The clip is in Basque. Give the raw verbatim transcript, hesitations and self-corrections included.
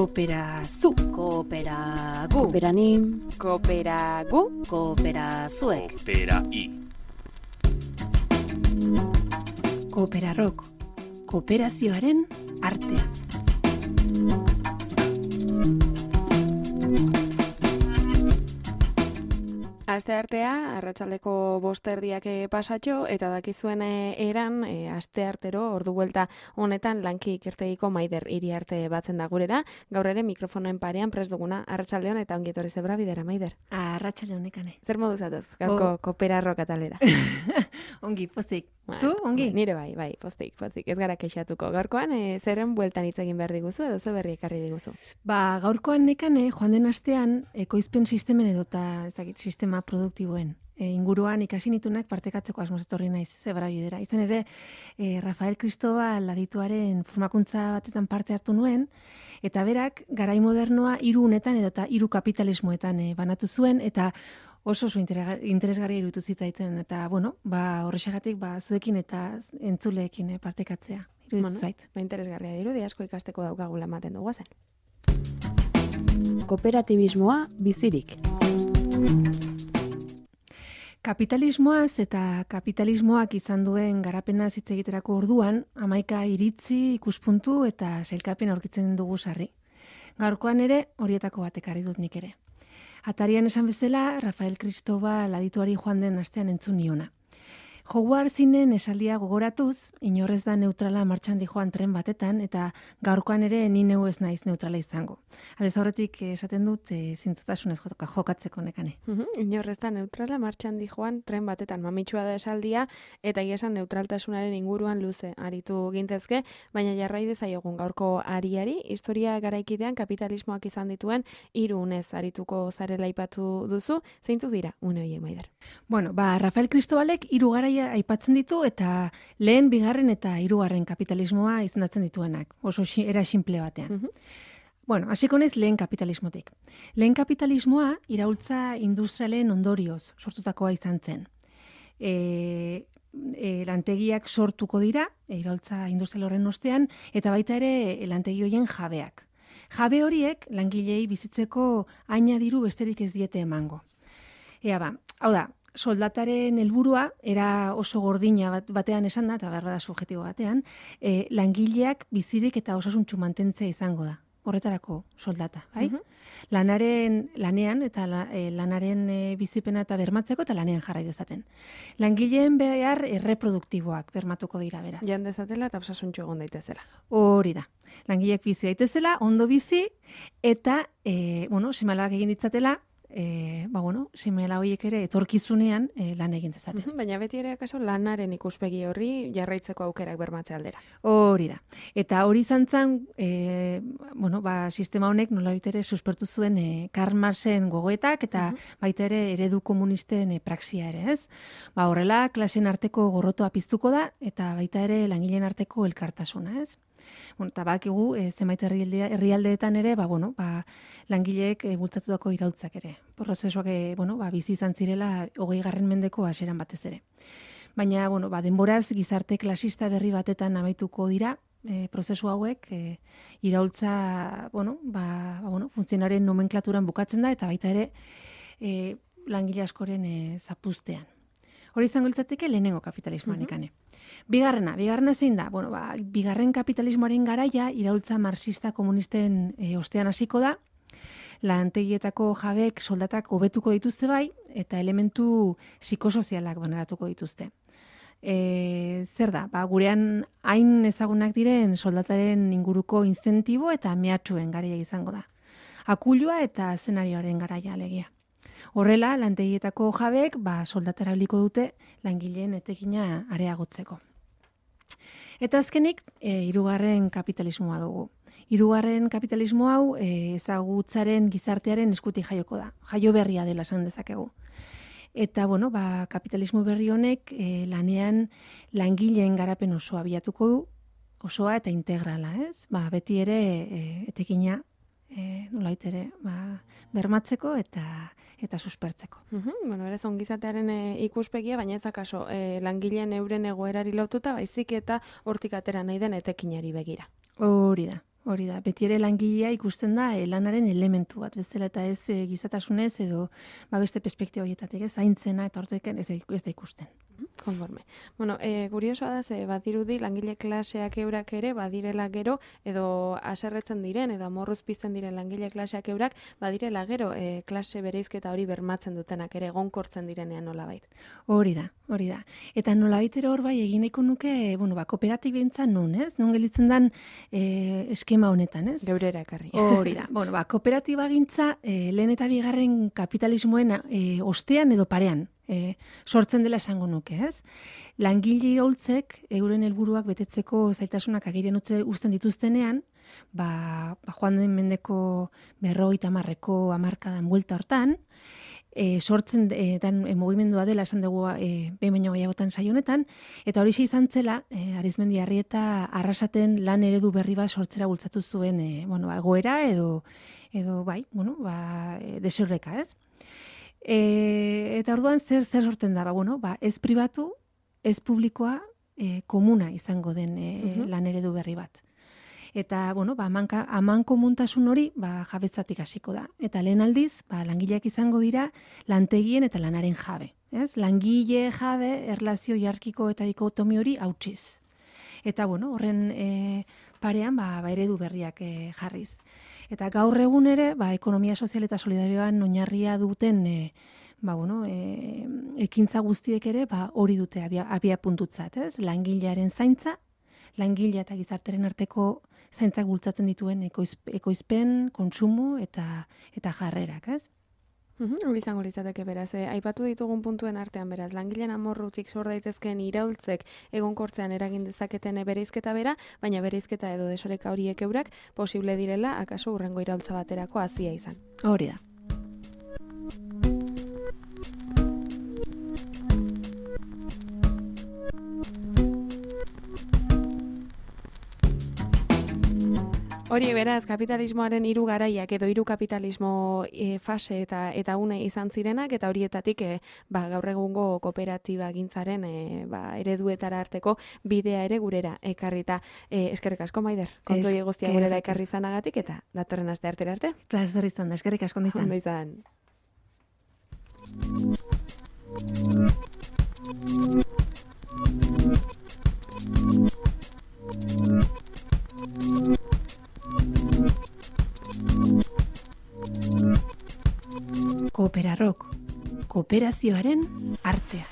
Kooperazu, Kooperagu, kooperanim, Kooperagu, Kooperazuek, Koopera-i. Kooperarrok, kooperazioaren artea. Asteartea, arratsaldeko bost erdiak pasatxo, eta dakizuen eran, e, asteartero, ordu buelta honetan, lanki ikertegiko Maider Iriarte batzen da gurera. Gaur ere mikrofonoen parean prest duguna, arratsaldeon eta ongi etorri zebra bidera, Maider. Arratsalde honekane. Zer modu zatoz, gaurko Oh. Kooperarrok atalera? Ongi, pozik. Bueno, Zu, ongi? Nire bai, bai, postik, postik, ez gara kexatuko. Gaurkoan, e, zerren bueltan hitz egin behar diguzu, edo ze berri ekarri diguzu? Ba, gaurkoan nekane, joan den astean, ekoizpen sistemen edota, ezagit, sistema produktiboen e, inguruan ikasi nitunak partekatzeko asmoz etorri naiz zebra bidera. Izan ere, e, Rafael Cristobal adituaren formakuntza batetan parte hartu nuen, eta berak, garai modernoa hiru unetan edota hiru kapitalismoetan e, banatu zuen, eta oso oso interesgarria iruditu zitzaiten, eta, bueno, ba, horrexegatik, ba, zuekin eta entzuleekin e, partekatzea. Iruditu Bueno, zait. ba, interesgarria dirudi, asko ikasteko daukagula ematen dugu zen. Kooperatibismoa bizirik. Kapitalismoaz eta kapitalismoak izan duen garapena hitz egiterako orduan, hamaika iritzi, ikuspuntu eta sailkapen aurkitzen dugu sarri. Gaurkoan ere, horietako bat ekarri dut nik ere. Atarian esan bezala, Rafael Cristobal adituari joan den astean entzun niona. Hogwartsinen esaldia gogoratuz, inorrez da neutrala martxan dijoan tren batetan, eta gaurkoan ere ni neu ez naiz neutrala izango. Aldez aurretik esaten dut e, zintzotasunez joka- jokatzeko nekane. Mhm, Inorrez da neutrala martxan dijoan tren batetan mamitsua da esaldia, eta egia esan neutraltasunaren inguruan luze aritu gintezke, baina jarrai dezaiogun gaurko ariari, historia garaikidean kapitalismoak izan dituen hiru unez arituko zarela aipatu duzu, zeintzuk dira une horiek, Maider? Bueno, ba, Rafael Cristobalek hiru garaia aipatzen ditu eta lehen, bigarren eta hirugarren kapitalismoa izendatzen dituenak. Oso xi, era simple batean. Mhm. Bueno, hasiko naiz lehen kapitalismotik. Lehen kapitalismoa iraultza industrialen ondorioz sortutakoa izan zen. E, e, lantegiak sortuko dira, e, iraultza industrial horren ostean, eta baita ere e, lantegi horien jabeak. Jabe horiek langilei bizitzeko aina diru besterik ez diete emango. Ea ba, hau da, soldataren helburua era oso gordina bat, batean esan da, eta behar da subjektibo batean, e, langileak bizirik eta osasuntsu mantentzea izango da. Horretarako soldata, bai? Mhm. Lanaren, lanean eta la, e, lanaren e, bizipena eta bermatzeko eta lanean jarrai dezaten. Langileen behar erreproduktiboak bermatuko dira beraz. Jan dezatela eta osasuntxu egon daitezela. Hori da. Langileak bizi daitezela, ondo bizi, eta, e, bueno, seme-alabak egin ditzatela, e, ba, bueno, seme-alaba horiek ere etorkizunean e, lan egin dezaten. Mhm, Baina beti ere akaso lanaren ikuspegi horri jarraitzeko aukerak bermatze aldera. Hori da. Eta hori izan zen, e, bueno, ba, sistema honek nolabait ere suspertu zuen e, Karl Marxen gogoetak eta baita ere eredu komunisten e, praxia ere, ez? Ba, horrela, klaseen arteko gorrotoa piztuko da eta baita ere langileen arteko elkartasuna, ez? Bueno, eta bakigu, e, zenbait herrialdea- herrialdeetan ere, ba, bueno, ba, langileek e, bultzatutako irautzak ere. Prozesuak, e, bueno, ba, bizi izan zirela hogei garren mendeko hasieran batez ere. Baina, bueno, ba, denboraz gizarte klasista berri batetan amaituko dira, e, prozesu hauek, e, iraultza, bueno, ba, ba, bueno, funtzionaren nomenklaturan bukatzen da, eta baita ere e, langile askoren e, zapuztean. Hori izango litzateke lehenengo kapitalismoan ikane. Bigarrena, bigarrena zein da? Bueno, ba, bigarren kapitalismoaren garaia iraultza marxista komunisten e, ostean hasiko da, lantegietako jabek soldatak hobetuko dituzte bai, eta elementu psikosozialak baneratuko dituzte. E, zer da? Ba, gurean hain ezagunak diren soldataren inguruko inzentibo eta mehatxuen garaia izango da. Akulua eta zenarioaren garaia alegia. Horrela, lantegietako jabek ba, soldatara biliko dute langileen etekina areagotzeko. Eta azkenik, e, hirugarren kapitalismoa dugu. Hirugarren kapitalismo hau e, ezagutzaren gizartearen eskutik jaioko da. Jaio berria dela esan dezakegu. Eta, bueno, ba, kapitalismo berri honek e, lanean langileen garapen osoa bilatuko du, osoa eta integrala, ez? Ba, beti ere e, etekina e, nolait ere ba, bermatzeko eta eta suspertzeko. Mhm, bueno, berez ongizatearen e, ikuspegia, baina ez akaso e, langileen euren egoerari lotuta, baizik eta hortik atera nahi den etekinari begira. Hori da. hori da. Beti ere langilea ikusten da e, lanaren elementu bat bezala eta ez e, gizatasunez edo ba beste perspektiba horietatik, ez zaintzena eta hortek ez, ez da ikusten. Konforme. Bueno, e, kuriosoa da, ze badirudi langile klaseak eurak ere badirela gero edo haserretzen diren edo amorruz pizten diren langile klaseak eurak badirela gero e, klase bereizketa hori bermatzen dutenak ere egonkortzen direnean nolabait. Hori da, hori da. Eta nolabait ere hor bai egin nahiko nuke, bueno, ba kooperatibentza non, ez? Non gelitzen dan e, eskema honetan, ez? Geurera ekarri. Hori da. Bueno, ba kooperatibagintza e, lehen eta bigarren kapitalismoen e, ostean edo parean E, sortzen dela esango nuke, ez? Langile iraultzek euren helburuak betetzeko zailtasunak agerian utze uzten dituztenean, ba, ba joan den mendeko berrogeita hamarreko hamarkadan buelta hortan, e, sortzen e, dan e, mugimendua dela esan dugu e, behin baino gehiagotan saio honetan, eta hori izan zela, e, Arizmendi Arrieta Arrasaten lan eredu berri bat sortzera bultzatu zuen, e, bueno, ba, egoera edo edo bai, bueno, ba, e, deseurreka, ez? E, eta orduan zer zer sortzen da, ba, bueno, ba, ez pribatu, ez publikoa, e, komuna izango den e, uh-huh. lan eredu berri bat. Eta, bueno, ba, amanka, aman komuntasun hori, ba, jabetzatik hasiko da. Eta lehen aldiz, ba, langileak izango dira lantegien eta lanaren jabe. Ez? Langile jabe, erlazio hierarkiko eta dikotomi hori hautsiz. Eta, bueno, horren e, parean, ba, ba, eredu berriak e, jarriz. Eta gaur egun ere, ba, ekonomia sozial eta solidarioan oinarria duten e, ba, bueno, e, ekintza guztiek ere ba, hori dute abia, abia puntutzat, ez? Langilearen zaintza, langilea eta gizarteren arteko zaintzak bultzatzen dituen ekoiz, ekoizpen, kontsumo eta eta jarrerak, ez? Hori uh-huh, izango litzateke beraz, eh, aipatu ditugun puntuen artean beraz, langileen amorrutik sor daitezkeen iraultzek egonkortzean eragin dezaketen bereizketa bera, baina bereizketa edo desoreka horiek eurak posible direla, akaso hurrengo iraultza baterako hazia izan. Hori da. Hori beraz, kapitalismoaren hiru garaiak edo hiru kapitalismo e, fase eta eta une izan zirenak, eta horietatik e, ba, gaur egungo kooperatiba gintzaren e, ba, ereduetara arteko bidea ere gurera ekarrita. E, eskerrik asko, Maider, kontu hori guztia gurera ekarri izanagatik, eta datorren aste artera arte. Plazer izan da, eskerrik asko izan. Ondo izan. Kooperarrok, kooperazioaren artea.